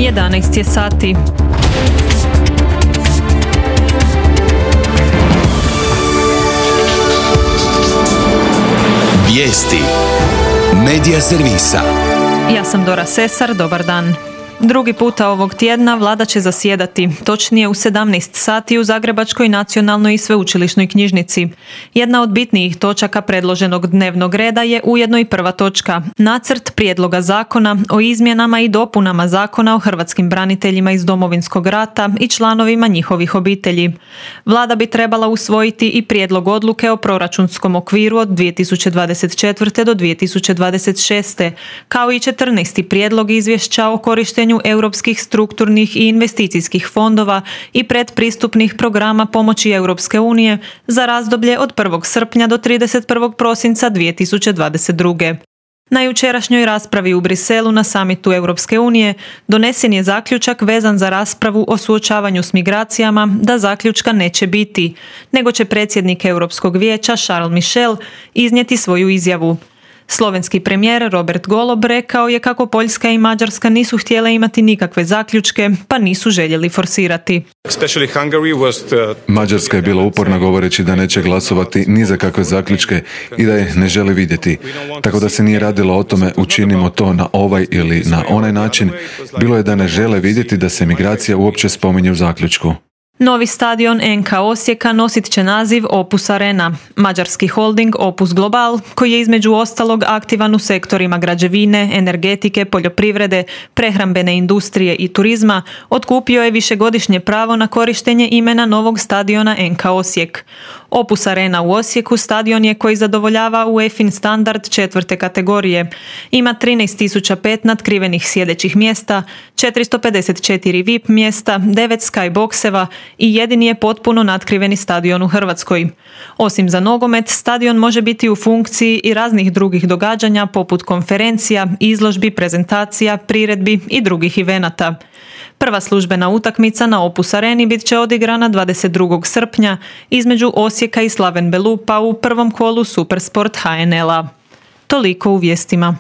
11 je sati. Vijesti Medija servisa. Ja sam Dora Sesar, dobar dan. Drugi puta ovog tjedna vlada će zasjedati, točnije u 17 sati u Zagrebačkoj nacionalnoj i sveučilišnoj knjižnici. Jedna od bitnijih točaka predloženog dnevnog reda je ujedno i prva točka, nacrt prijedloga zakona o izmjenama i dopunama Zakona o hrvatskim braniteljima iz Domovinskog rata i članovima njihovih obitelji. Vlada bi trebala usvojiti i prijedlog odluke o proračunskom okviru od 2024. do 2026. kao i 14. prijedlog izvješća o korištenju europskih strukturnih i investicijskih fondova i predpristupnih programa pomoći Europske unije za razdoblje od 1. srpnja do 31. prosinca 2022. Na jučerašnjoj raspravi u Briselu na samitu Europske unije donesen je zaključak vezan za raspravu o suočavanju s migracijama da zaključka neće biti, nego će predsjednik Europskog vijeća Charles Michel iznijeti svoju izjavu. Slovenski premijer Robert Golob rekao je kako Poljska i Mađarska nisu htjele imati nikakve zaključke, pa nisu željeli forsirati. Mađarska je bila uporna govoreći da neće glasovati ni za kakve zaključke i da je ne želi vidjeti. Tako da se nije radilo o tome učinimo to na ovaj ili na onaj način. Bilo je da ne žele vidjeti da se migracija uopće spominje u zaključku. Novi stadion NK Osijeka nosit će naziv Opus Arena. Mađarski holding Opus Global, koji je između ostalog aktivan u sektorima građevine, energetike, poljoprivrede, prehrambene industrije i turizma, otkupio je višegodišnje pravo na korištenje imena novog stadiona NK Osijek. Opus Arena u Osijeku stadion je koji zadovoljava UEFA standard 4. kategorije. Ima 13.005 natkrivenih sjedećih mjesta, 454 VIP mjesta, 9 skyboxeva i jedini je potpuno natkriveni stadion u Hrvatskoj. Osim za nogomet, stadion može biti u funkciji i raznih drugih događanja poput konferencija, izložbi, prezentacija, priredbi i drugih evenata. Prva službena utakmica na Opus Areni bit će odigrana 22. srpnja između Osijeka i Slaven Belupa u prvom kolu Supersport HNL-a. Toliko u vijestima.